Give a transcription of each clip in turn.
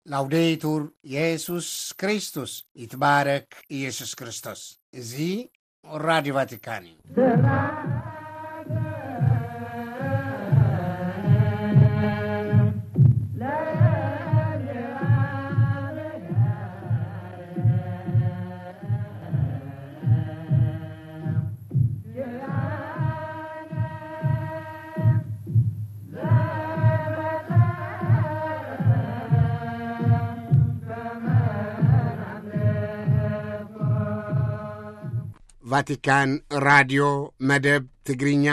ላውዴቱር የሱስ ክርስቶስ፣ ይትባረክ ኢየሱስ ክርስቶስ። እዚ ራዲዮ ቫቲካን እዩ። ቫቲካን ራድዮ መደብ ትግርኛ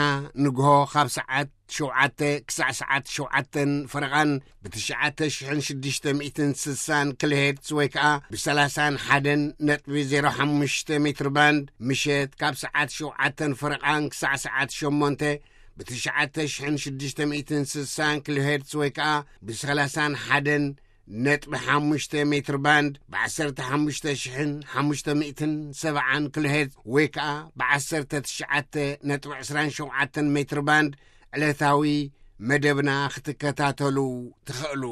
ንግሆ ካብ ሰዓት ሸውዓተ ክሳዕ ሰዓት ሸውዓተን ፈረቓን ብትሽዓተ ሽሕን ሽዱሽተ ሚእትን ስሳን ኪሎሄርትዝ ወይ ከኣ ብሰላሳን ሓደን ነጥቢ ዜሮ ሓሙሽተ ሜትር ባንድ፣ ምሸት ካብ ሰዓት ሸውዓተን ፈረቓን ክሳዕ ሰዓት ሸሞንተ ብትሽዓተ ሽሕን ሽዱሽተ ሚእትን ስሳን ኪሎሄርትዝ ወይ ከኣ ብሰላሳን ሓደን ነጥቢ ሓሙሽተ ሜትር ባንድ፣ ብዓሰርተ ሓሙሽተ ሽሕን ሓሙሽተ ሚእትን ሰብዓን ኪሎሄርትዝ ወይ ከኣ ብዓሰርተ ትሽዓተ ነጥቢ ዕስራን ሸውዓተን ሜትር ባንድ ዕለታዊ መደብና ክትከታተሉ ትኽእሉ።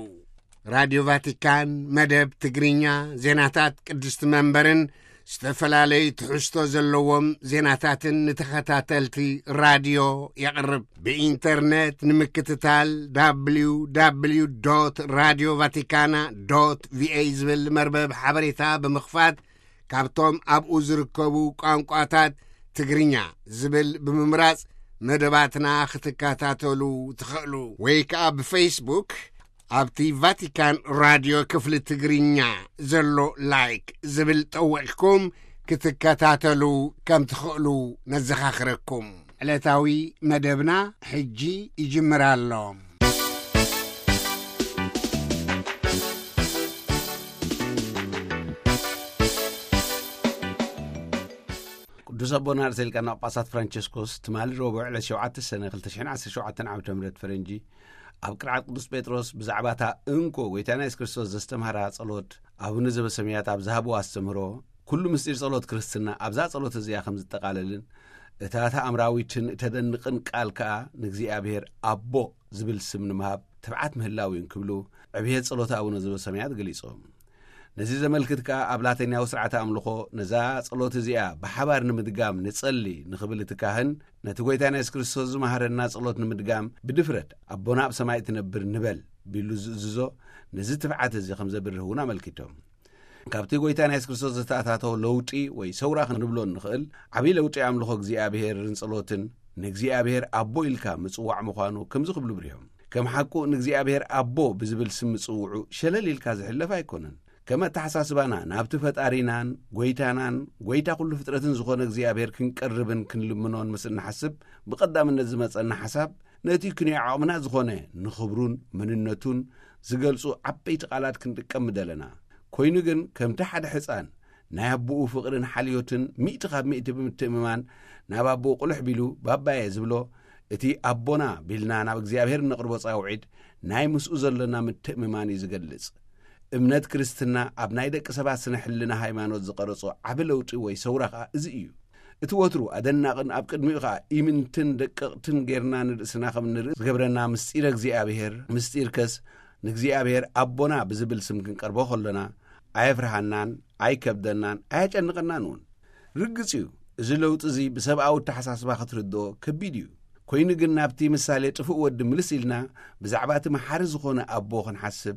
ራድዮ ቫቲካን መደብ ትግርኛ፣ ዜናታት ቅድስቲ መንበርን ዝተፈላለዩ ትሕዝቶ ዘለዎም ዜናታትን ንተኸታተልቲ ራድዮ የቕርብ። ብኢንተርነት ንምክትታል፣ www radio vaticana va ዝብል መርበብ ሓበሬታ ብምኽፋት፣ ካብቶም ኣብኡ ዝርከቡ ቋንቋታት ትግርኛ ዝብል ብምምራጽ መደባትና ክትከታተሉ ትኽእሉ። ወይ ከኣ ብፌስቡክ ኣብቲ ቫቲካን ራድዮ ክፍሊ ትግርኛ ዘሎ ላይክ ዝብል ጠዊቕኩም ክትከታተሉ ከም ትኽእሉ ነዘኻኽረኩም። ዕለታዊ መደብና ሕጂ ይጅምር ኣሎ። ቅዱስ ኣቦና ርእሰ ሊቃነ ጳጳሳት ፍራንቸስኮስ ትማሊ ረቡዕ ዕለት ሸውዓተ ሰነ ክልተ ሽሕን ዓሰርተ ሸውዓተን ዓመተ ምህረት ፈረንጂ ኣብ ቅርዓት ቅዱስ ጴጥሮስ ብዛዕባ እታ እንኮ ጐይታና የሱስ ክርስቶስ ዘስተምሃራ ጸሎት ኣቡነ ዘበሰማያት ኣብ ዝሃብዎ ኣስተምህሮ፣ ኩሉ ምስጢር ጸሎት ክርስትና ኣብዛ ጸሎት እዚኣ ከም ዝጠቓለልን እታ ተኣምራዊትን እተደንቕን ቃል ከኣ ንእግዚኣብሔር ኣቦ ዝብል ስም ንምሃብ ትብዓት ምህላው እዩ እንክብሉ ዕብየት ጸሎት ኣቡነ ዘበሰማያት ገሊጾም። ነዚ ዘመልክት ከኣ ኣብ ላቲናዊ ስርዓተ ኣምልኾ ነዛ ጸሎት እዚኣ ብሓባር ንምድጋም ንጸሊ ንኽብል እቲ ካህን ነቲ ጐይታና የሱስ ክርስቶስ ዝመሃረና ጸሎት ንምድጋም ብድፍረት ኣቦና ኣብ ሰማይ እትነብር ንበል ቢሉ ዝእዝዞ ነዚ ትብዓት እዚ ከም ዘብርህ እውን ኣመልኪቶም። ካብቲ ጐይታና የሱስ ክርስቶስ ዝተኣታተወ ለውጢ ወይ ሰውራ ክንብሎ እንኽእል ዓብዪ ለውጢ ኣምልኾ እግዚኣብሔርን ጸሎትን ንእግዚኣብሔር ኣቦ ኢልካ ምጽዋዕ ምዃኑ ከምዚ ክብሉ ብሪሆም። ከም ሓቁ ንእግዚኣብሔር ኣቦ ብዝብል ስም ምጽውዑ ሸለል ኢልካ ዝሕለፍ ኣይኮነን። ከም ኣተሓሳስባና ናብቲ ፈጣሪናን ጐይታናን ጐይታ ኩሉ ፍጥረትን ዝኾነ እግዚኣብሔር ክንቀርብን ክንልምኖን ምስ እንሓስብ ብቐዳምነት ዝመጸና ሓሳብ ነቲ ክንዮ ዓቕምና ዝኾነ ንኽብሩን መንነቱን ዝገልጹ ዓበይቲ ቃላት ክንጥቀም ምደለና። ኮይኑ ግን ከምቲ ሓደ ሕጻን ናይ ኣቦኡ ፍቕርን ሓልዮትን ሚእቲ ካብ ሚእቲ ብምትእምማን ናብ ኣቦኡ ቁልሕ ቢሉ ባባየ ዝብሎ እቲ ኣቦና ቢልና ናብ እግዚኣብሔር እነቕርቦ ጻውዒት ናይ ምስኡ ዘሎና ምትእምማን እዩ ዝገልጽ። እምነት ክርስትና ኣብ ናይ ደቂ ሰባት ስነ ሕልና ሃይማኖት ዝቐረጾ ዓቢ ለውጢ ወይ ሰውራ ከኣ እዚ እዩ። እቲ ወትሩ ኣደናቕን ኣብ ቅድሚኡ ከኣ ኢምንትን ደቀቕትን ጌርና ንርእስና ከም እንርኢ ዝገብረና ምስጢረ እግዚኣብሔር፣ ምስጢርከስ ንእግዚኣብሔር ኣቦና ብዝብል ስም ክንቀርቦ ከሎና ኣየፍርሃናን ኣይከብደናን ኣየጨንቐናን እውን። ርግጽ እዩ፣ እዚ ለውጢ እዚ ብሰብኣዊ ኣተሓሳስባ ክትርድኦ ከቢድ እዩ። ኮይኑ ግን ናብቲ ምሳሌ ጥፉእ ወዲ ምልስ ኢልና ብዛዕባ እቲ መሓሪ ዝኾነ ኣቦ ክንሓስብ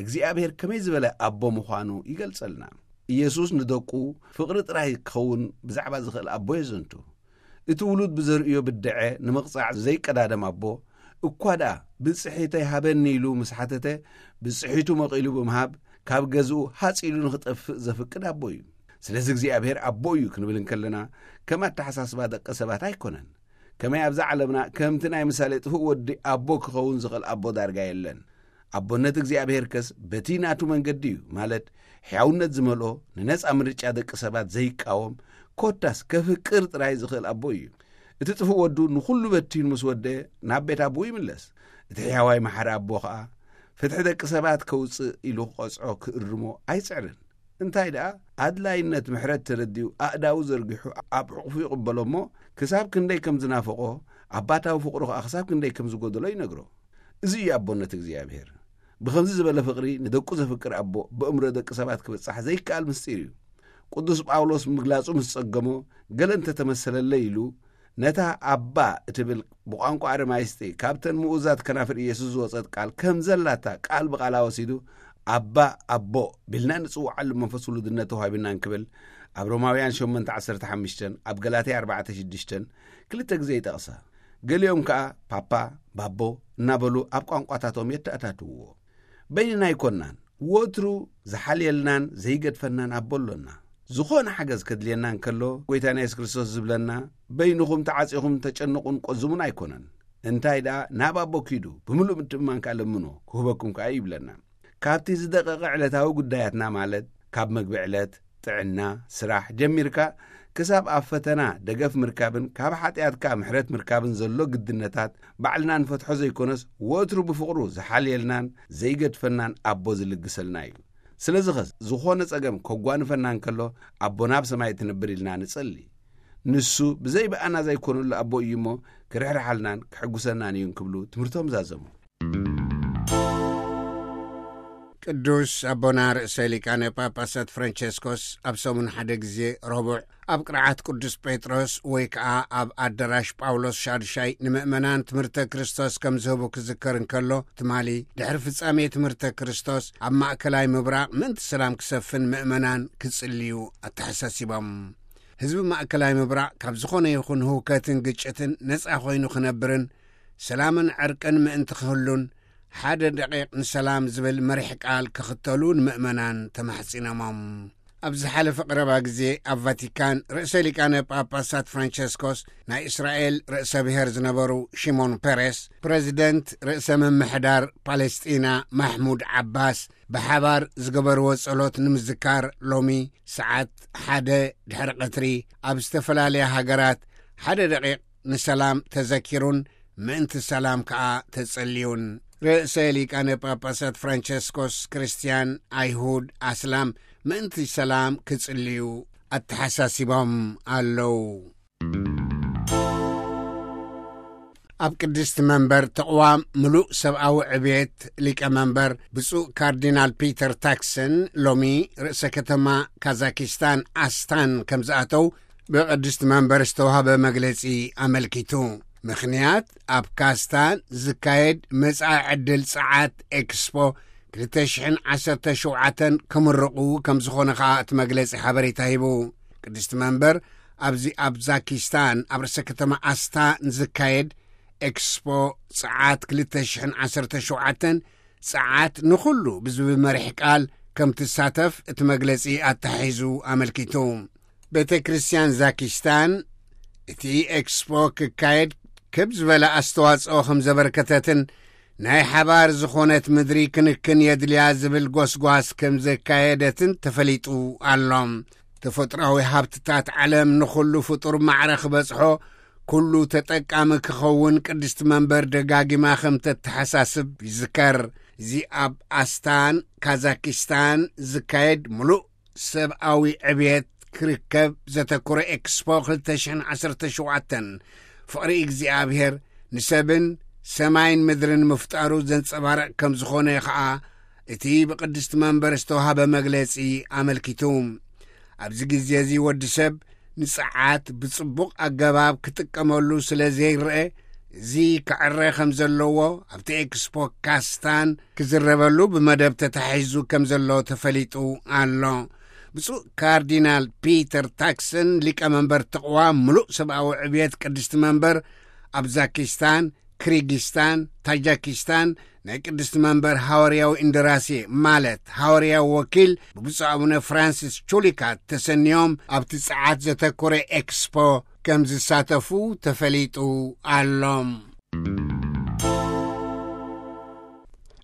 እግዚኣብሔር ከመይ ዝበለ ኣቦ ምዃኑ ይገልጸልና። ኢየሱስ ንደቁ ፍቕሪ ጥራይ ክኸውን ብዛዕባ ዝኽእል ኣቦ የዘንቱ። እቲ ውሉድ ብዘርእዮ ብድዐ ንምቕጻዕ ዘይቀዳደም ኣቦ እኳ ደኣ ብጽሒተይ ሃበኒ ኢሉ ምስ ሓተተ ብጽሒቱ መቒሉ ብምሃብ ካብ ገዝኡ ሃጽ ኢሉ ንኽጠፍእ ዘፍቅድ ኣቦ እዩ። ስለዚ እግዚኣብሔር ኣቦ እዩ ክንብል እንከለና ከም ኣተሓሳስባ ደቂ ሰባት ኣይኮነን። ከመይ ኣብዛ ዓለምና ከምቲ ናይ ምሳሌ ጥፉእ ወዲ ኣቦ ክኸውን ዝኽእል ኣቦ ዳርጋ የለን። ኣቦነት እግዚኣብሔር ከስ በቲ ናቱ መንገዲ እዩ፣ ማለት ሕያውነት ዝመልኦ ንነጻ ምርጫ ደቂ ሰባት ዘይቃወም ኮታስ ከፍቅር ጥራይ ዝኽእል ኣቦ እዩ። እቲ ጥፉእ ወዱ ንኹሉ በቲኑ ምስ ወደአ ናብ ቤት ኣቦኡ ይምለስ። እቲ ሕያዋይ መሓሪ ኣቦ ኸኣ ፍትሒ ደቂ ሰባት ከውጽእ ኢሉ ክቐጽዖ ክእርሞ ኣይጽዕርን። እንታይ ደኣ ኣድላይነት ምሕረት ተረዲኡ ኣእዳዉ ዘርጊሑ ኣብ ሕቑፉ ይቕበሎ እሞ ክሳብ ክንደይ ከም ዝናፈቖ ኣባታዊ ፍቕሩ ኸኣ ክሳብ ክንደይ ከም ዝጎደሎ ይነግሮ። እዚ እዩ ኣቦነት እግዚኣብሔር። ብኸምዚ ዝበለ ፍቕሪ ንደቁ ዘፍቅር ኣቦ ብእምሮ ደቂ ሰባት ክብጻሕ ዘይከኣል ምስጢር እዩ። ቅዱስ ጳውሎስ ምግላጹ ምስ ጸገሞ፣ ገለ እንተተመሰለለይ ኢሉ፣ ነታ ኣባ እትብል ብቋንቋ ኣረማይስጢ ካብተን ምኡዛት ከናፍር ኢየሱስ ዝወጸት ቃል ከም ዘላታ ቃል ብቓላ ወሲዱ፣ ኣባ፣ ኣቦ ቢልና ንጽውዓሉ መንፈስ ውሉድነት ተዋሂቡና እንክብል ኣብ ሮማውያን ሸሞንተ ዓሰርተ ሓሙሽተ፣ ኣብ ገላትያ ኣርባዕተ ሽዱሽተ ክልተ ግዜ ይጠቕሳ። ገሊኦም ከኣ ፓፓ፣ ባቦ እናበሉ ኣብ ቋንቋታቶም የተኣታትውዎ። በይንና ኣይኮናን። ወትሩ ዝሓልየልናን ዘይገድፈናን ኣቦ ኣሎና። ዝኾነ ሓገዝ ከድልየና እንከሎ፣ ጎይታና የሱስ ክርስቶስ ዝብለና፣ "በይንኹም ተዓጺኹም ተጨንቑን ቆዝሙን ኣይኮነን። እንታይ ደኣ፣ ናብ ኣቦ ኪዱ፣ ብምሉእ ምትእምማን ከኣ ለምኖ፣ ክህበኩም ከኣ እዩ" ይብለና። ካብቲ ዝደቀቐ ዕለታዊ ጉዳያትና፣ ማለት ካብ መግቢ ዕለት፣ ጥዕና፣ ስራሕ ጀሚርካ፣ ክሳብ ኣብ ፈተና ደገፍ ምርካብን ካብ ሓጢኣትካ ምሕረት ምርካብን ዘሎ ግድነታት፣ ባዕልና ንፈትሖ ዘይኮነስ፣ ወትሩ ብፍቕሩ ዝሓልየልናን ዘይገድፈናን ኣቦ ዝልግሰልና እዩ። ስለዚ ኸስ፣ ዝኾነ ጸገም ከጓንፈና እንከሎ፣ ኣቦና ኣብ ሰማይ ትነብር ኢልና ንጸሊ። ንሱ ብዘይ ብኣና ዘይኮነሉ ኣቦ እዩ እሞ፣ ክርሕርሓልናን ክሕጉሰናን እዩ እንክብሉ ትምህርቶም ዛዘሙ። ቅዱስ ኣቦና ርእሰ ሊቃነ ጳጳሳት ፍራንቸስኮስ ኣብ ሰሙን ሓደ ግዜ ረቡዕ ኣብ ቅርዓት ቅዱስ ጴጥሮስ ወይ ከኣ ኣብ ኣዳራሽ ጳውሎስ ሻድሻይ ንምእመናን ትምህርተ ክርስቶስ ከም ዝህቡ ክዝከር እንከሎ፣ ትማሊ ድሕሪ ፍጻሜ ትምህርተ ክርስቶስ ኣብ ማእከላይ ምብራቕ ምእንቲ ሰላም ክሰፍን ምእመናን ክጽልዩ ኣተሓሳሲቦም። ህዝቢ ማእከላይ ምብራቕ ካብ ዝኾነ ይኹን ህውከትን ግጭትን ነጻ ኮይኑ ክነብርን ሰላምን ዕርቅን ምእንቲ ክህሉን ሓደ ደቂቕ ንሰላም ዝብል መሪሕ ቃል ክኽተሉ ንምእመናን ተማሕጺኖሞም። ኣብ ዝሓለፈ ቀረባ ግዜ ኣብ ቫቲካን ርእሰ ሊቃነ ጳጳሳት ፍራንቸስኮስ ናይ እስራኤል ርእሰ ብሔር ዝነበሩ ሺሞን ፔሬስ፣ ፕረዚደንት ርእሰ ምምሕዳር ፓለስጢና ማሕሙድ ዓባስ ብሓባር ዝገበርዎ ጸሎት ንምዝካር ሎሚ ሰዓት ሓደ ድሕሪ ቀትሪ ኣብ ዝተፈላለያ ሃገራት ሓደ ደቂቕ ንሰላም ተዘኪሩን ምእንቲ ሰላም ከኣ ተጸልዩን። ርእሰ ሊቃነ ጳጳሳት ፍራንቸስኮስ ክርስትያን፣ ኣይሁድ፣ ኣስላም ምእንቲ ሰላም ክጽልዩ ኣተሓሳሲቦም ኣለዉ። ኣብ ቅድስቲ መንበር ተቕዋም ምሉእ ሰብኣዊ ዕብየት ሊቀ መንበር ብፁዕ ካርዲናል ፒተር ታክሰን ሎሚ ርእሰ ከተማ ካዛኪስታን ኣስታን ከም ዝኣተው ብቅድስቲ መንበር ዝተዋህበ መግለጺ ኣመልኪቱ። ምኽንያት ኣብ ካስታን ዝካየድ መጻኢ ዕድል ጸዓት ኤክስፖ ክልተ ሽሕን ዓሰርተ ሸውዓተን ክምርቑ ከም ዝኾነ ከኣ እቲ መግለጺ ሓበሬታ ሂቡ። ቅድስቲ መንበር ኣብዚ ኣብ ዛኪስታን ኣብ ርእሰ ከተማ ኣስታ ንዝካየድ ኤክስፖ ጸዓት ክልተ ሽሕን ዓሰርተ ሸውዓተን ጸዓት ንኹሉ ብዝብል መሪሕ ቃል ከም ትሳተፍ እቲ መግለጺ ኣተሓሒዙ ኣመልኪቱ። ቤተ ክርስቲያን ዛኪስታን እቲ ኤክስፖ ክካየድ ክብ ዝበለ ኣስተዋጽኦ ከም ዘበርከተትን ናይ ሓባር ዝኾነት ምድሪ ክንክን የድልያ ዝብል ጎስጓስ ከም ዘካየደትን ተፈሊጡ ኣሎ። ተፈጥሮኣዊ ሃብትታት ዓለም ንኹሉ ፍጡር ማዕረ ክበጽሖ፣ ኩሉ ተጠቃሚ ክኸውን ቅድስቲ መንበር ደጋጊማ ከም ተተሓሳስብ ይዝከር። እዚ ኣብ ኣስታን ካዛኪስታን ዝካየድ ምሉእ ሰብኣዊ ዕብየት ክርከብ ዘተኮረ ኤክስፖ ክልተ ሽሕን ዓሰርተ ሸውዓተን ፍቕሪ እግዚኣብሔር ንሰብን ሰማይን ምድርን ምፍጣሩ ዘንጸባርቕ ከም ዝኾነ ኸኣ እቲ ብቅድስቲ መንበር ዝተዋህበ መግለጺ ኣመልኪቱ። ኣብዚ ግዜ እዚ ወዲ ሰብ ንጸዓት ብጽቡቕ ኣገባብ ክጥቀመሉ ስለ ዘይረአ፣ እዚ ክዕረ ከም ዘለዎ ኣብቲ ኤክስፖ ካስታን ክዝረበሉ ብመደብ ተታሒዙ ከም ዘሎ ተፈሊጡ ኣሎ። ብፁዕ ካርዲናል ፒተር ታክሰን፣ ሊቀ መንበር ተቕዋም ምሉእ ሰብኣዊ ዕብየት ቅድስቲ መንበር፣ ኣብ ዛኪስታን፣ ክሪጊስታን፣ ታጃኪስታን ናይ ቅድስቲ መንበር ሃዋርያዊ እንደራሴ፣ ማለት ሃዋርያዊ ወኪል፣ ብብፁዕ ኣቡነ ፍራንሲስ ቹሊካ ተሰንዮም ኣብቲ ጸዓት ዘተኮረ ኤክስፖ ከም ዝሳተፉ ተፈሊጡ ኣሎ።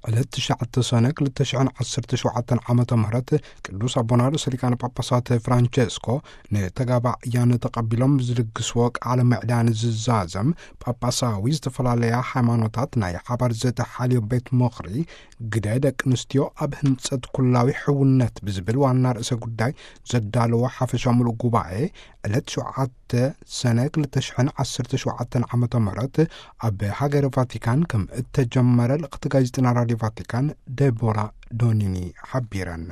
ዕለት ትሽዓተ ሰነ ክልተ ሽሕን ዓሰርተ ሸውዓተን ዓመተ ምህረት ቅዱስ ኣቦና ርእሰ ሊቃነ ጳጳሳት ፍራንቸስኮ ንተጋባእያን ተቐቢሎም ዝልግስዎ ቃለ ምዕዳን ዝዛዘም፣ ጳጳሳዊ ዝተፈላለያ ሃይማኖታት ናይ ሓባር ዘተሓልዮ ቤት ምኽሪ ግደ ደቂ ኣንስትዮ ኣብ ህንጸት ኩላዊ ሕውነት ብዝብል ዋና ርእሰ ጉዳይ ዘዳለዎ ሓፈሻ ምሉእ ጉባኤ ዕለት ሸውዓተ ሰነ ክልተ ሽሕን ዓሰርተ ሸውዓተን ዓመተ ምህረት ኣብ ሃገረ ቫቲካን ከም እተጀመረ ልእኽቲ ጋዜጠና ራድዮ ቫቲካን ደቦራ ዶኒኒ ሓቢረን።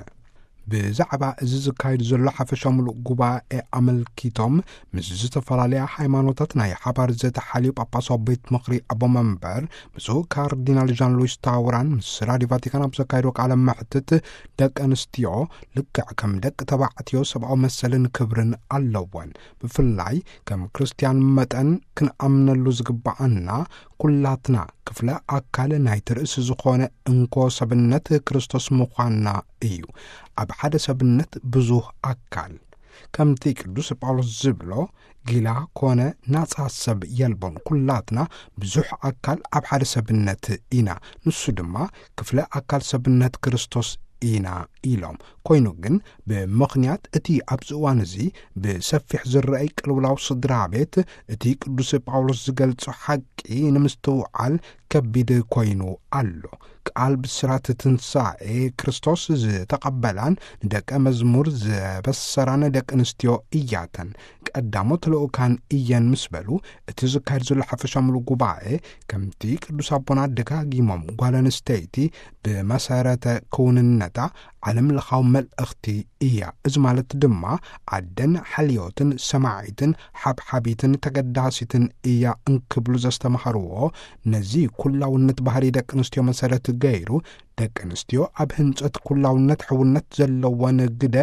ብዛዕባ እዚ ዝካየድ ዘሎ ሓፈሻ ምሉእ ጉባኤ ኣመልኪቶም፣ ምስ ዝተፈላለያ ሃይማኖታት ናይ ሓባር ዘተሓልዩ ጳጳሳዊ ቤት ምኽሪ ኣቦ መንበር ብፁዕ ካርዲናል ዣን ሉዊስ ታውራን ምስ ራድዮ ቫቲካን ኣብ ዘካየዶ ቃለ መሕትት፣ ደቂ ኣንስትዮ ልክዕ ከም ደቂ ተባዕትዮ ሰብኣዊ መሰልን ክብርን ኣለወን። ብፍላይ ከም ክርስትያን መጠን ክንኣምነሉ ዝግብኣና፣ ኩላትና ክፍለ ኣካል ናይቲ ርእሲ ዝኾነ እንኮ ሰብነት ክርስቶስ ምዃንና እዩ። ኣብ ሓደ ሰብነት ብዙህ ኣካል። ከምቲ ቅዱስ ጳውሎስ ዝብሎ፣ ጊላ ኮነ ናጻ ሰብ የልቦን፣ ኩላትና ብዙሕ ኣካል ኣብ ሓደ ሰብነት ኢና። ንሱ ድማ ክፍለ ኣካል ሰብነት ክርስቶስ ኢና ኢሎም። ኮይኑ ግን፣ ብምኽንያት እቲ ኣብዚ እዋን እዚ ብሰፊሕ ዝረኣይ ቅልውላው ስድራ ቤት፣ እቲ ቅዱስ ጳውሎስ ዝገልጾ ሓቂ ንምስትውዓል ከቢድ ኮይኑ ኣሎ። ቃል ብስራት ትንሳኤ ክርስቶስ ዝተቐበላን ንደቀ መዝሙር ዘበሰራን ደቂ ኣንስትዮ እያተን ቀዳሞት ልኡካን እየን ምስ በሉ፣ እቲ ዝካየድ ዘሎ ሓፈሻ ምሉእ ጉባኤ፣ ከምቲ ቅዱስ ኣቦና ደጋጊሞም፣ ጓል ኣንስተይቲ ብመሰረተ ክውንነታ ዓለም ለኻዊ መልእኽቲ እያ። እዚ ማለት ድማ፣ ኣደን ሓልዮትን ሰማዒትን ሓብሓቢትን ተገዳሲትን እያ እንክብሉ ዘስተምሃርዎ፣ ነዚ ኩላውነት ባህሪ ደቂ ኣንስትዮ መሰረት ገይሩ፣ ደቂ ኣንስትዮ ኣብ ህንጸት ኩላውነት ሕውነት ዘለወን ግደ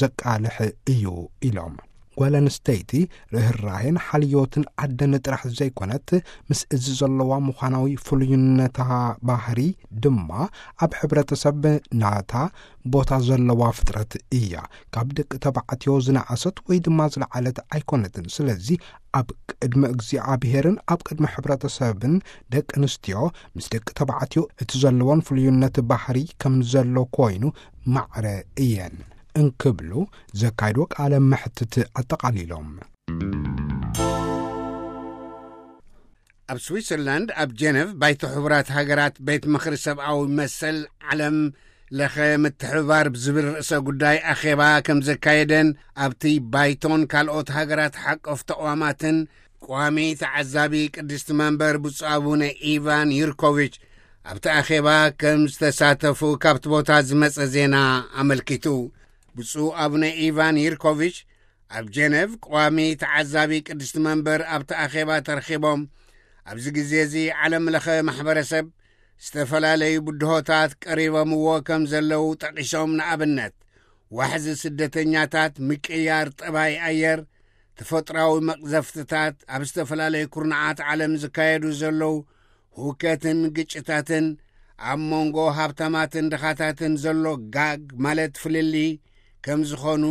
ዘቃልሕ እዩ ኢሎም። ጓል ኣንስተይቲ ርህራሄን ሓልዮትን ኣደን ጥራሕ ዘይኮነት፣ ምስ እዚ ዘለዋ ምዃናዊ ፍሉይነታ ባህሪ ድማ ኣብ ሕብረተሰብ ናታ ቦታ ዘለዋ ፍጥረት እያ። ካብ ደቂ ተባዕትዮ ዝነኣሰት ወይ ድማ ዝለዓለት ኣይኮነትን። ስለዚ ኣብ ቅድሚ እግዚኣብሔርን ኣብ ቅድሚ ሕብረተሰብን ደቂ ኣንስትዮ ምስ ደቂ ተባዕትዮ እቲ ዘለወን ፍሉይነት ባህሪ ከም ዘሎ ኮይኑ ማዕረ እየን እንክብሉ ዘካይዶ ቃለ መሕትት ኣጠቓሊሎም። ኣብ ስዊትዘርላንድ ኣብ ጀነቭ ባይቶ ሕቡራት ሃገራት ቤት ምኽሪ ሰብኣዊ መሰል ዓለም ለኸ ምትሕብባር ብዝብል ርእሰ ጉዳይ ኣኼባ ከም ዘካየደን፣ ኣብቲ ባይቶን ካልኦት ሃገራት ሓቆፍ ተቋማትን ቋሚ ተዓዛቢ ቅድስቲ መንበር ብፁዕ ኣቡነ ኢቫን ዩርኮቪች ኣብቲ ኣኼባ ከም ዝተሳተፉ ካብቲ ቦታ ዝመጸ ዜና ኣመልኪቱ። ብፁዕ ኣቡነ ኢቫን ዩርኮቪች ኣብ ጀነቭ ቋሚ ተዓዛቢ ቅድስቲ መንበር ኣብቲ ኣኼባ ተረኺቦም፣ ኣብዚ ግዜ እዚ ዓለም ለኸ ማሕበረሰብ ዝተፈላለዩ ብድሆታት ቀሪቦምዎ ከም ዘለዉ ጠቒሶም፣ ንኣብነት ዋሕዚ ስደተኛታት፣ ምቅያር ጠባይ ኣየር፣ ተፈጥራዊ መቕዘፍትታት፣ ኣብ ዝተፈላለዩ ኩርናዓት ዓለም ዝካየዱ ዘለዉ ሁከትን ግጭታትን፣ ኣብ መንጎ ሃብታማትን ድኻታትን ዘሎ ጋግ ማለት ፍልልይ ከም ዝኾኑ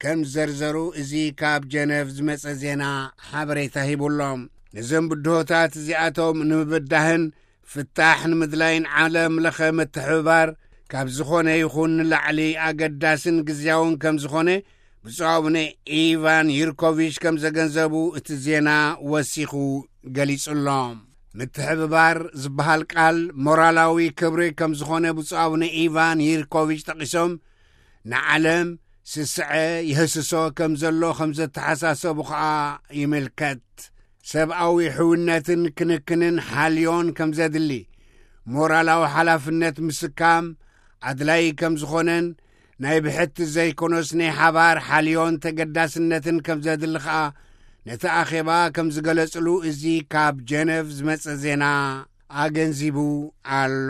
ከም ዘርዘሩ እዚ ካብ ጀነቭ ዝመጸ ዜና ሓበሬታ ሂቡሎም። ነዞም ብድሆታት እዚኣቶም ንምብዳህን ፍታሕ ንምድላይን ዓለም ለኸ ምትሕብባር ካብ ዝኾነ ይኹን ንላዕሊ ኣገዳስን ግዝያውን ከም ዝኾነ ብፁዕ ኣቡነ ኢቫን ዩርኮቪች ከም ዘገንዘቡ እቲ ዜና ወሲኹ ገሊጹ ኣሎ። ምትሕብባር ዝበሃል ቃል ሞራላዊ ክብሪ ከም ዝኾነ ብፁዕ ኣቡነ ኢቫን ዩርኮቪች ጠቒሶም፣ ንዓለም ስስዐ ይህስሶ ከም ዘሎ ከም ዘተሓሳሰቡ ኸኣ ይምልከት። ሰብኣዊ ሕውነትን ክንክንን ሓልዮን ከም ዘድሊ፣ ሞራላዊ ሓላፍነት ምስካም ኣድላይ ከም ዝኾነን፣ ናይ ብሕቲ ዘይኮነስ ናይ ሓባር ሓልዮን ተገዳስነትን ከም ዘድሊ ኸኣ ነቲ ኣኼባ ከም ዝገለጽሉ እዚ ካብ ጀነቭ ዝመጸ ዜና ኣገንዚቡ ኣሎ።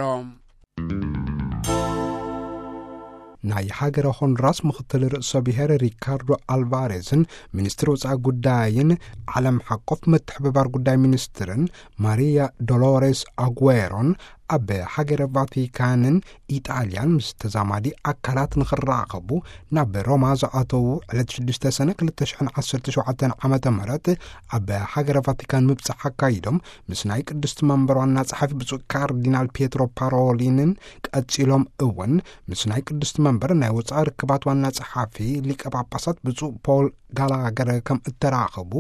ናይ ሃገረ ሆንዱራስ ምኽትል ርእሰ ብሔር ሪካርዶ ኣልቫሬዝን ሚኒስትር ወጻኢ ጉዳይን ዓለም ሓቆፍ ምትሕብባር ጉዳይ ሚኒስትርን ማሪያ ዶሎሬስ ኣጉዌሮን ኣብ ሃገረ ቫቲካንን ኢጣልያን ምስ ተዛማዲ ኣካላት ንኽራኸቡ ናብ ሮማ ዝኣተዉ ዕለት ሽዱሽተ ሰነ ክልተ ሽሕን ዓሰርተ ሸውዓተን ዓመተ ምህረት ኣብ ሃገረ ቫቲካን ምብጻሕ ኣካይዶም፣ ምስ ናይ ቅድስቲ መንበር ዋና ጸሓፊ ብፁዕ ካርዲናል ፒየትሮ ፓሮሊንን ቀጺሎም እውን ምስ ናይ ቅድስቲ መንበር ናይ ወጻኢ ርክባት ዋና ጸሓፊ ሊቀ ጳጳሳት ብፁዕ ፖል ጋላገር ከም እተራኸቡ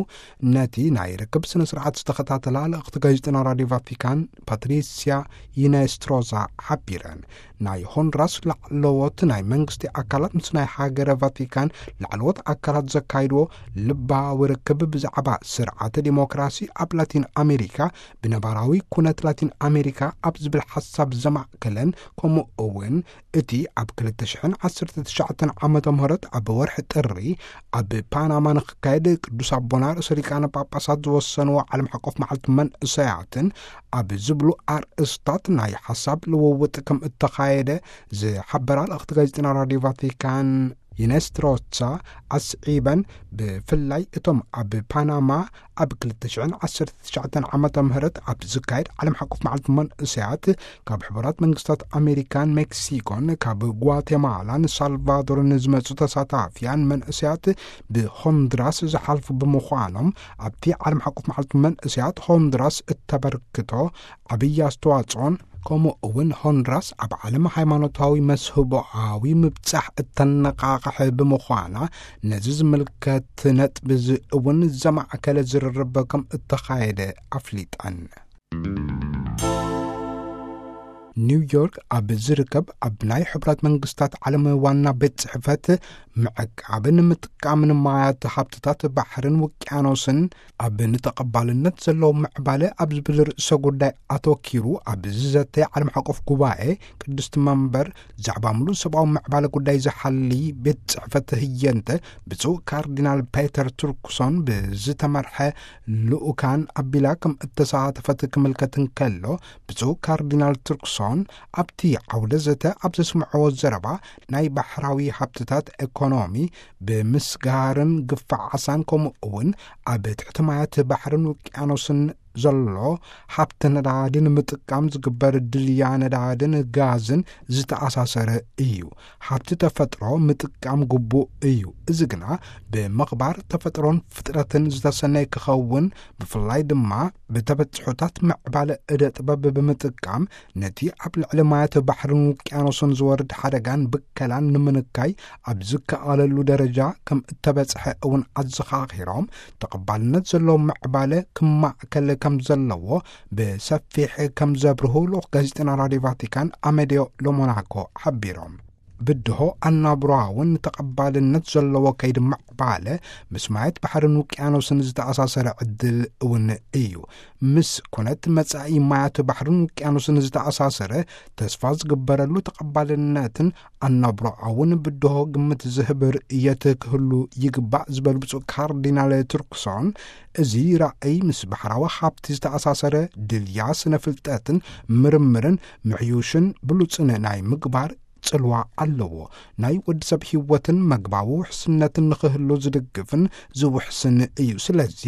ነቲ ናይ ርክብ ስነ ስርዓት ዝተኸታተላ ልእኽቲ ጋዜጠና ራድዮ ቫቲካን ፓትሪሲያ ይነስትሮዛ ሓቢረን። ናይ ሆንድራስ ላዕለዎት ናይ መንግስቲ ኣካላት ምስ ናይ ሃገረ ቫቲካን ላዕለዎት ኣካላት ዘካይድዎ ልባዊ ርክብ ብዛዕባ ስርዓተ ዲሞክራሲ ኣብ ላቲን ኣሜሪካ ብነባራዊ ኩነት ላቲን ኣሜሪካ ኣብ ዝብል ሓሳብ ዘማእከለን፣ ከምኡ እውን እቲ ኣብ ክልተ ሽሕን ዓሰርተ ትሽዓተን ዓመተ ምህረት ኣብ ወርሒ ጥሪ ኣብ ፓናማ ንክካየድ ቅዱስ ኣቦና ርእሰ ሊቃነ ጳጳሳት ዝወሰንዎ ዓለም ሓቆፍ መዓልቲ መንእሰያትን ኣብ ዝብሉ ኣርእስታት ናይ ሓሳብ ልውውጥ ከም እተኻየደ ዝሓበራ ልእኽቲ ጋዜጠና ራድዮ ቫቲካን ይነስትሮሳ ኣስዒበን፣ ብፍላይ እቶም ኣብ ፓናማ ኣብ ክልተ ሽሕን ዓሰርተ ትሽዓተን ዓመተ ምህረት ኣብ ዝካየድ ዓለም ሓቆፍ መዓልቲ መንእሰያት ካብ ሕቡራት መንግስታት ኣሜሪካን ሜክሲኮን ካብ ጓቴማላን ሳልቫዶርን ዝመጹ ተሳታፍያን መንእሰያት ብሆንድራስ ዝሓልፉ ብምዃኖም ኣብቲ ዓለም ሓቆፍ መዓልቲ መንእሰያት ሆንድራስ እተበርክቶ ዓብዪ ኣስተዋጽኦን ከምኡ እውን ሆንድራስ ኣብ ዓለም ሃይማኖታዊ መስህቦኣዊ ምብጻሕ እተነቓቕሕ ብምዃና ነዚ ዝምልከት ነጥቢ እዚ እውን ዘማእከለ ዝርርብ ከም እተኻየደ ኣፍሊጠን። ኒውዮርክ ኣብ ዝርከብ ኣብ ናይ ሕቡራት መንግስታት ዓለም ዋና ቤት ጽሕፈት ምዕቃብን ምጥቃምን ማያት ሃብትታት ባሕርን ውቅያኖስን ኣብ ንተቐባልነት ዘለዎ ምዕባለ ኣብ ዝብል ርእሰ ጉዳይ ኣተኪሩ ኣብ ዝዘተየ ዓለም ሓቆፍ ጉባኤ ቅድስቲ መንበር ዛዕባ ምሉእ ሰብኣዊ ምዕባለ ጉዳይ ዝሓሊ ቤት ጽሕፈት ህየንተ ብፁዕ ካርዲናል ፔተር ቱርክሶን ብዝተመርሐ ልኡካን ኣቢላ ከም እተሳተፈት ክምልከት እንከሎ፣ ብፁዕ ካርዲናል ቱርክሶን ኣብቲ ዓውደ ዘተ ኣብ ዘስምዕዎ ዘረባ ናይ ባሕራዊ ሃብትታት ኤኮኖሚ ብምስጋርን ግፋ ዓሳን ከምኡ እውን ኣብ ትሕቲ ማያት ባሕርን ውቅያኖስን ዘሎ ሃብቲ ነዳዲ ንምጥቃም ዝግበር ድልያ ነዳድን ጋዝን ዝተኣሳሰረ እዩ። ሃብቲ ተፈጥሮ ምጥቃም ግቡእ እዩ። እዚ ግና ብምኽባር ተፈጥሮን ፍጥረትን ዝተሰነየ ክኸውን፣ ብፍላይ ድማ ብተበጽሑታት ምዕባለ እደ ጥበብ ብምጥቃም ነቲ ኣብ ልዕሊ ማያት ባሕርን ውቅያኖስን ዝወርድ ሓደጋን ብከላን ንምንካይ ኣብ ዝከኣለሉ ደረጃ ከም እተበጽሐ እውን ኣዘኻኺሮም፣ ተቐባልነት ዘለዎ ምዕባለ ክማእከል ከም ዘለዎ ብሰፊሕ ከም ዘብርሁ ልኡኽ ጋዜጠና ራድዮ ቫቲካን ኣመዲዮ ሎሞናኮ ሓቢሮም። ብድሆ ኣናብሮኣ እውን ተቐባልነት ዘለዎ ከይዲ ምዕባለ ምስ ማያት ባሕርን ውቅያኖስን ዝተኣሳሰረ ዕድል እውን እዩ። ምስ ኩነት መጻኢ ማያት ባሕርን ውቅያኖስን ዝተኣሳሰረ ተስፋ ዝግበረሉ ተቐባልነትን ኣናብሮኣ እውን ብድሆ ግምት ዝህብ ርእየት ክህሉ ይግባእ ዝበሉ ብፁዕ ካርዲናል ቱርክሶን፣ እዚ ራእይ ምስ ባሕራዊ ሃብቲ ዝተኣሳሰረ ድልያ ስነ ፍልጠትን ምርምርን ምሕዩሽን ብሉጽን ናይ ምግባር ጽልዋ ኣለዎ። ናይ ወዲ ሰብ ህይወትን መግባዊ ውሕስነትን ንኽህሉ ዝድግፍን ዝውሕስን እዩ። ስለዚ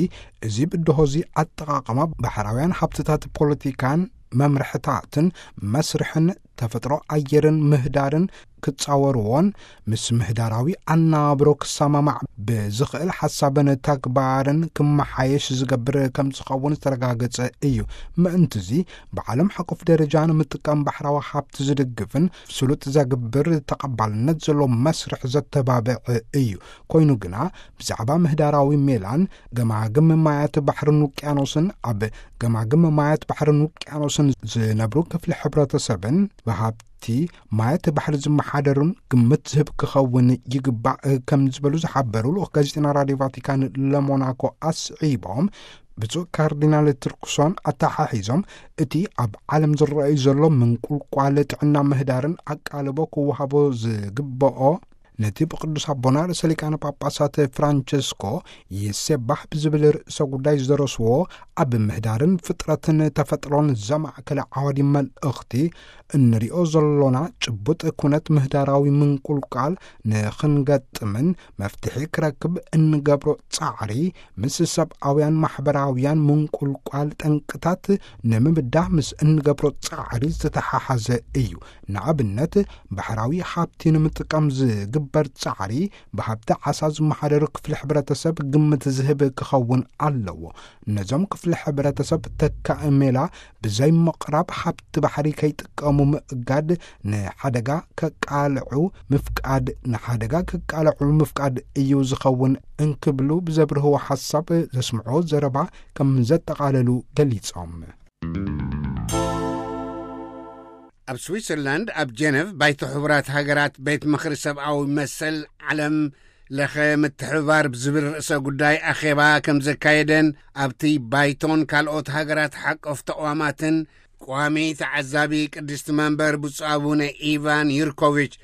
እዚ ብድሆ እዚ ኣጠቓቕማ ባሕራውያን ሃብትታት ፖለቲካን መምርሕታትን መስርሕን ተፈጥሮ ኣየርን ምህዳርን ክጻወርዎን ምስ ምህዳራዊ ኣናብሮ ክሰማማዕ ብዝኽእል ሓሳብን ተግባርን ክመሓየሽ ዝገብር ከም ዝኸውን ዝተረጋገጸ እዩ። ምእንትዚ ብዓለም ሓቆፍ ደረጃ ንምጥቃም ባሕራዊ ሃብቲ ዝድግፍን ስሉጥ ዘግብር ተቐባልነት ዘለዎ መስርሕ ዘተባብዕ እዩ። ኮይኑ ግና ብዛዕባ ምህዳራዊ ሜላን ገማግም ማያት ባሕርን ውቅያኖስን ኣብ ገማግም ማያት ባሕርን ውቅያኖስን ዝነብሩ ክፍሊ ሕብረተሰብን ብሃብቲ ማያት ባሕሪ ዝመሓደሩን ግምት ዝህብ ክኸውን ይግባእ ከም ዝበሉ ዝሓበሩ ልኡኽ ጋዜጠና ራድዮ ቫቲካን ለሞናኮ ኣስዒቦም፣ ብፁዕ ካርዲናል ቱርክሶን ኣተሓሒዞም እቲ ኣብ ዓለም ዝረኣዩ ዘሎ ምንቁልቋል ጥዕና ምህዳርን ኣቃልቦ ክወሃቦ ዝግብኦ ነቲ ብቅዱስ ኣቦና ርእሰ ሊቃነ ጳጳሳት ፍራንቸስኮ ይሴባህ ብዝብል ርእሰ ጉዳይ ዝደረስዎ ኣብ ምህዳርን ፍጥረትን ተፈጥሮን ዘማእከለ ዓዋዲ መልእኽቲ እንሪኦ ዘሎና ጭቡጥ ኩነት ምህዳራዊ ምንቁልቋል ንኽንገጥምን መፍትሒ ክረክብ እንገብሮ ጻዕሪ ምስ ሰብኣውያን ማሕበራውያን ምንቁልቋል ጠንቅታት ንምብዳህ ምስ እንገብሮ ጻዕሪ ዝተተሓሓዘ እዩ። ንኣብነት ባሕራዊ ሃብቲ ንምጥቃም ዝግብ ዝግበር ጻዕሪ ብሃብቲ ዓሳ ዝመሓደሩ ክፍሊ ሕብረተሰብ ግምት ዝህብ ክኸውን ኣለዎ። ነዞም ክፍሊ ሕብረተሰብ ተካኢ ሜላ ብዘይ ምቕራብ ሃብቲ ባሕሪ ከይጥቀሙ ምእጋድ ንሓደጋ ከቃልዑ ምፍቃድ፣ ንሓደጋ ከቃልዑ ምፍቃድ እዩ ዝኸውን እንክብሉ ብዘብርህዎ ሓሳብ ዘስምዖ ዘረባ ከም ዘጠቓለሉ ገሊጾም። ኣብ ስዊትዘርላንድ ኣብ ጀነቭ ባይቶ ሕቡራት ሃገራት ቤት ምኽሪ ሰብኣዊ መሰል ዓለም ለኸ ምትሕብባር ብዝብል ርእሰ ጉዳይ ኣኼባ ከም ዘካየደን ኣብቲ ባይቶን ካልኦት ሃገራት ሓቆፍ ተቕዋማትን ቋሚ ተዓዛቢ ቅድስቲ መንበር ብፁዕ ኣቡነ ኢቫን ዩርኮቪች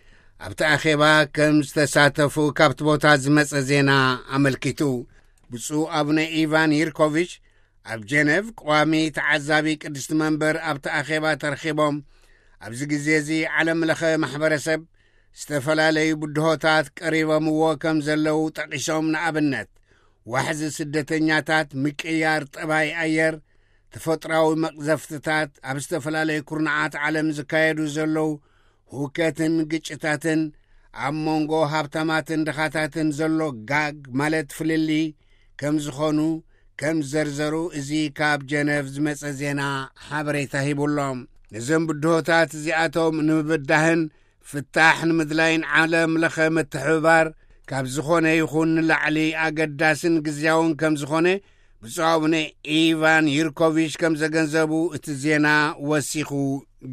ኣብቲ ኣኼባ ከም ዝተሳተፉ ካብቲ ቦታ ዝመጸ ዜና ኣመልኪቱ። ብፁዕ ኣቡነ ኢቫን ዩርኮቪች ኣብ ጀነቭ ቋሚ ተዓዛቢ ቅድስቲ መንበር ኣብቲ ኣኼባ ተረኺቦም፣ ኣብዚ ግዜ እዚ ዓለም ለኸ ማሕበረሰብ ዝተፈላለዩ ብድሆታት ቀሪቦምዎ ከም ዘለዉ ጠቒሶም፣ ንኣብነት ዋሕዚ ስደተኛታት፣ ምቅያር ጠባይ ኣየር፣ ተፈጥራዊ መቕዘፍትታት፣ ኣብ ዝተፈላለዩ ኩርናዓት ዓለም ዝካየዱ ዘለዉ ህውከትን ግጭታትን፣ ኣብ መንጎ ሃብታማትን ድኻታትን ዘሎ ጋግ ማለት ፍልልይ ከም ዝኾኑ ከም ዘርዘሩ እዚ ካብ ጀነቭ ዝመጸ ዜና ሓበሬታ ሂቡሎም። ነዞም ብድሆታት እዚኣቶም ንምብዳህን ፍታሕ ንምድላይን ዓለም ለኸ ምትሕብባር ካብ ዝኾነ ይኹን ንላዕሊ ኣገዳስን ግዝያውን ከም ዝኾነ ብፁዕ ኣቡነ ኢቫን ዩርኮቪች ከም ዘገንዘቡ እቲ ዜና ወሲኹ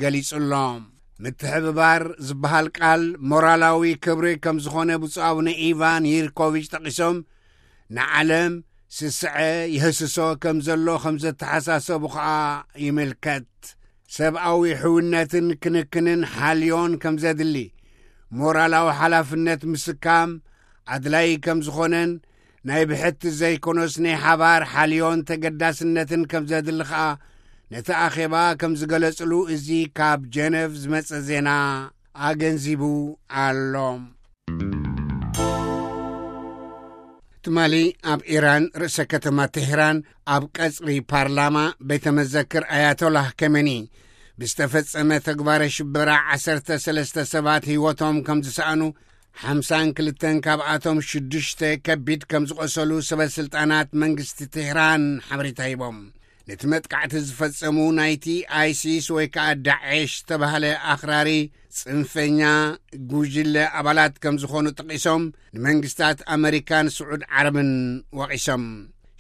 ገሊጹሎም። ምትሕብባር ዝበሃል ቃል ሞራላዊ ክብሪ ከም ዝኾነ ብፁዕ ኣቡነ ኢቫን ዩርኮቪች ጠቒሶም፣ ንዓለም ስስዐ ይህስሶ ከም ዘሎ ከም ዘተሓሳሰቡ ኸኣ ይምልከት። ሰብኣዊ ሕውነትን ክንክንን ሓልዮን ከም ዘድሊ፣ ሞራላዊ ሓላፍነት ምስካም ኣድላይ ከም ዝኾነን ናይ ብሕቲ ዘይኮነስ ናይ ሓባር ሓልዮን ተገዳስነትን ከም ዘድሊ ኸኣ ነቲ ኣኼባ ከም ዝገለጽሉ እዚ ካብ ጀነቭ ዝመጸ ዜና ኣገንዚቡ ኣሎ። ትማሊ ኣብ ኢራን ርእሰ ከተማ ቴህራን ኣብ ቀጽሪ ፓርላማ ቤተ መዘክር ኣያቶላህ ከመኒ ብዝተፈጸመ ተግባረ ሽበራ ዓሰርተ ሰለስተ ሰባት ህይወቶም ከም ዝሰኣኑ፣ ሓምሳን ክልተን ካብኣቶም ሽዱሽተ ከቢድ ከም ዝቖሰሉ ሰበ ስልጣናት መንግስቲ ቴህራን ሓበሬታ ሂቦም። ነቲ መጥቃዕቲ ዝፈጸሙ ናይቲ ኣይሲስ ወይ ከኣ ዳዕሽ ዝተባህለ ኣኽራሪ ጽንፈኛ ጉጅለ ኣባላት ከም ዝኾኑ ጠቒሶም፣ ንመንግስታት ኣመሪካን ስዑድ ዓረብን ወቒሶም።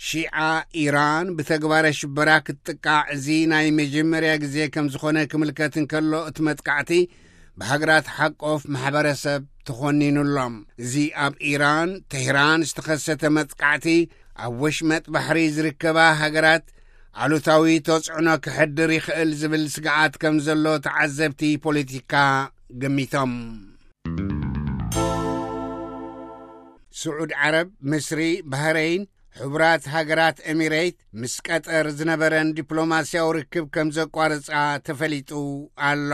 ሺዓ ኢራን ብተግባረ ሽበራ ክትጥቃዕ እዚ ናይ መጀመርያ ግዜ ከም ዝኾነ ክምልከት እንከሎ፣ እቲ መጥቃዕቲ ብሃገራት ሓቆፍ ማሕበረሰብ ተኾኒኑሎም። እዚ ኣብ ኢራን ቴህራን ዝተኸሰተ መጥቃዕቲ ኣብ ወሽመጥ ባሕሪ ዝርከባ ሃገራት ኣሉታዊ ተጽዕኖ ክሕድር ይኽእል ዝብል ስግኣት ከም ዘሎ ተዓዘብቲ ፖለቲካ ገሚቶም። ስዑድ ዓረብ፣ ምስሪ፣ ባህረይን፣ ሕቡራት ሃገራት ኤሚሬት ምስ ቀጠር ዝነበረን ዲፕሎማስያዊ ርክብ ከም ዘቋርጻ ተፈሊጡ ኣሎ።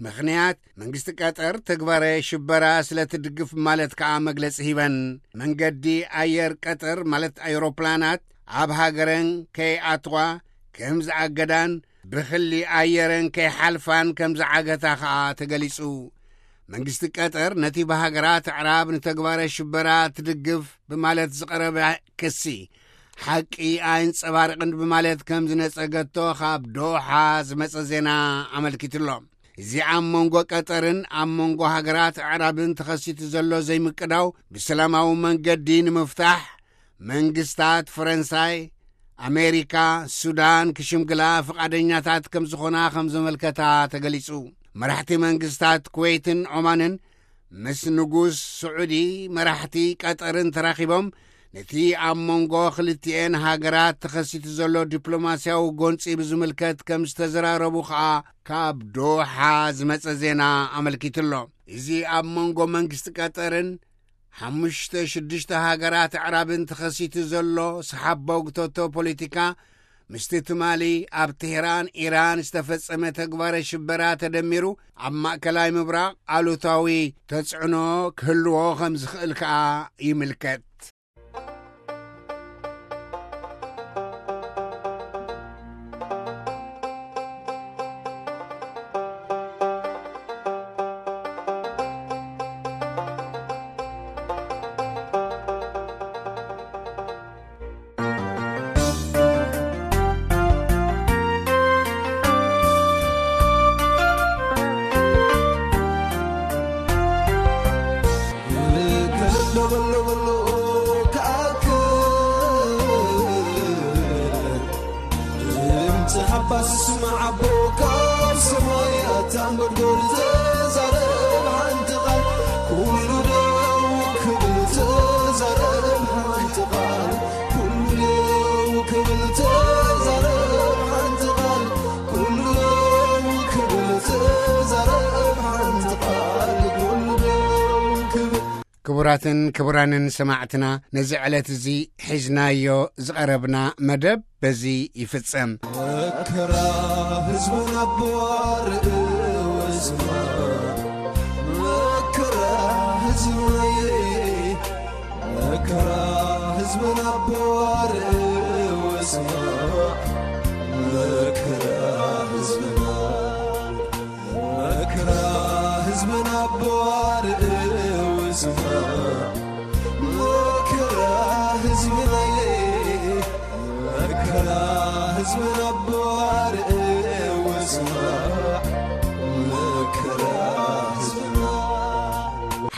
ምኽንያት፣ መንግስቲ ቀጠር ተግባረ ሽበራ ስለ ትድግፍ ማለት ከኣ መግለጺ ሂበን። መንገዲ ኣየር ቀጠር ማለት ኣውሮፕላናት ኣብ ሃገረን ከይኣትዋ ከም ዝኣገዳን ብክሊ ኣየረን ከይሓልፋን ከም ዝዓገታ ከኣ ተገሊጹ። መንግስቲ ቀጠር ነቲ ብሃገራት ኣዕራብ ንተግባረ ሽበራ ትድግፍ ብማለት ዝቐረበ ክሲ ሓቂ ኣየንጸባርቕን ብማለት ከም ዝነጸገቶ ካብ ዶሓ ዝመጸ ዜና ኣመልኪቱሎ። እዚ ኣብ መንጎ ቀጠርን ኣብ መንጎ ሃገራት ኣዕራብን ተኸሲቱ ዘሎ ዘይምቅዳው ብሰላማዊ መንገዲ ንምፍታሕ መንግስታት ፈረንሳይ፣ ኣሜሪካ፣ ሱዳን ክሽምግላ ፍቓደኛታት ከም ዝኾና ከም ዘመልከታ ተገሊጹ። መራሕቲ መንግስታት ኩዌትን ዖማንን ምስ ንጉስ ስዑዲ መራሕቲ ቀጠርን ተራኺቦም ነቲ ኣብ መንጎ ክልቲኤን ሃገራት ተኸሲቱ ዘሎ ዲፕሎማስያዊ ጎንጺ ብዝምልከት ከም ዝተዘራረቡ ከኣ ካብ ዶሓ ዝመጸ ዜና ኣመልኪቱሎ። እዚ ኣብ መንጎ መንግስቲ ቀጠርን ሓሙሽተ ሽዱሽተ ሃገራት ኣዕራብን ተኸሲቱ ዘሎ ሰሓቦ ግቶቶ ፖለቲካ ምስቲ ትማሊ ኣብ ቴህራን ኢራን ዝተፈጸመ ተግባረ ሽበራ ተደሚሩ ኣብ ማእከላይ ምብራቕ ኣሉታዊ ተጽዕኖ ክህልዎ ከም ዝኽእል ከኣ ይምልከት። ስማዕ ኣቦ ካብ ሰማይ ኣታ እንጎድጎድ ተዛረብ ሓንቲ ቃል። ኩሉ ደው ክብል ተዛረብ ሓንቲ ቃል። ኩሉ ደው ክብል ተዛረብ ሓንቲ ቃል። ኩሉ ደው ክብል ተዛረብ ሓንቲ ቃል። ኩሉ ደው ክብል ክቡራትን ክቡራንን ሰማዕትና፣ ነዚ ዕለት እዚ ሒዝናዮ ዝቐረብና መደብ በዚ ይፍጸም። መከራ ህዝብና ኣቦ ኣርእዮ ስማዕ። መከራ ህዝብና፣ መከራ ህዝብና ኣቦ ኣርእዮ ስማዕ። መከራ ህዝብና፣ መከራ ህዝብና ኣቦ ኣርእዮ ስማዕ። መከራ ህዝብና፣ መከራ ህዝብና ኣቦ ኣርእዮ ስማዕ። መከራ ህዝብና።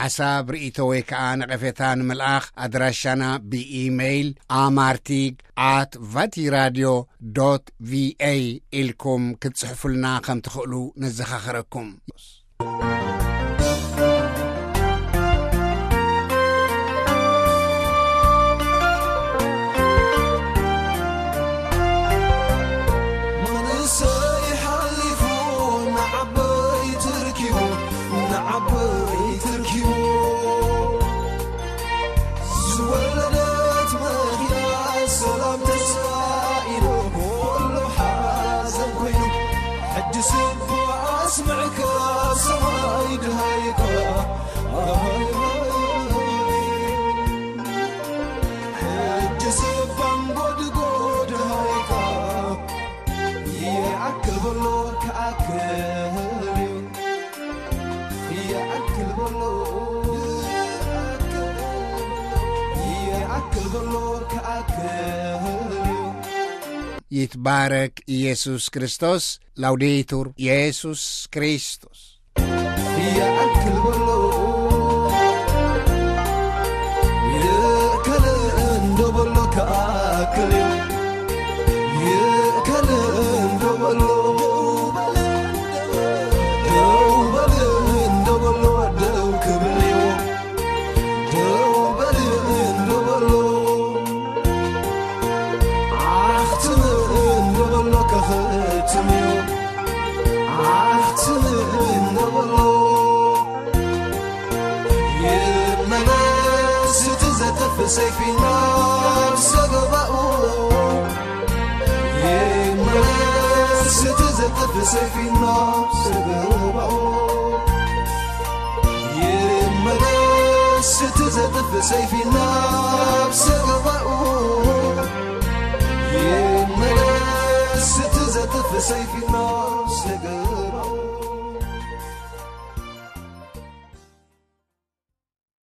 ሓሳብ፣ ርእይቶ ወይ ከኣ ነቐፌታ ንምልኣኽ ኣድራሻና ብኢሜይል ኣማርቲግ ኣት ቫቲራድዮ ዶት ቪኤ ኢልኩም ክትጽሕፉልና ከም ትኽእሉ ነዘኻኽረኩም። መንእሰይ ሓሊፉ ንዓበይቲ ርኪቡ፣ ንዓበይቲ ርኪቡ። ዝወለደት መኪና ሰላም ተስፋ ኢሉ፣ ኩሉ ሓዘን ኮይኑ። ሕጂ ስቡእ ኣስምዕካ ሰማይ ድሃይካ። ሕጂ ስባን ጎድጎድ ሃይካ። ይኣክል በሎ ክኣክል እዩ። ይኣክል በሎ፣ ይኣክል በሎ ክኣክል እዩ። ይትባረክ ኢየሱስ ክርስቶስ። ላውዴቱር ኢየሱስ ክርስቶስ። ይኣክል በሎ፣ ይእከል እንዶ በሎ ክኣክል እዩ። ይእከል እንዶ በሎ፣ ደው በል እንዶ በሎ፣ ደው ክብል እዩ። ደው በል እንዶ በሎ፣ ዓኽትም እንዶ በሎ፣ ከኽትም እዩ። ዓኽትም እንዶ በሎ፣ ይመለስ እቲ ዘጥፍእ ሰይፊ ናብ ሰገባኡ። ይመለስ እቲ ዘጥፍእ ሰይፊ ናብ ሰገባኡ። ይመለስ እቲ ዘጥፍእ ሰይፊ ናብ ሰገባኡ። ይመለስ እቲ ዘጥፍእ ሰይፊ ናብ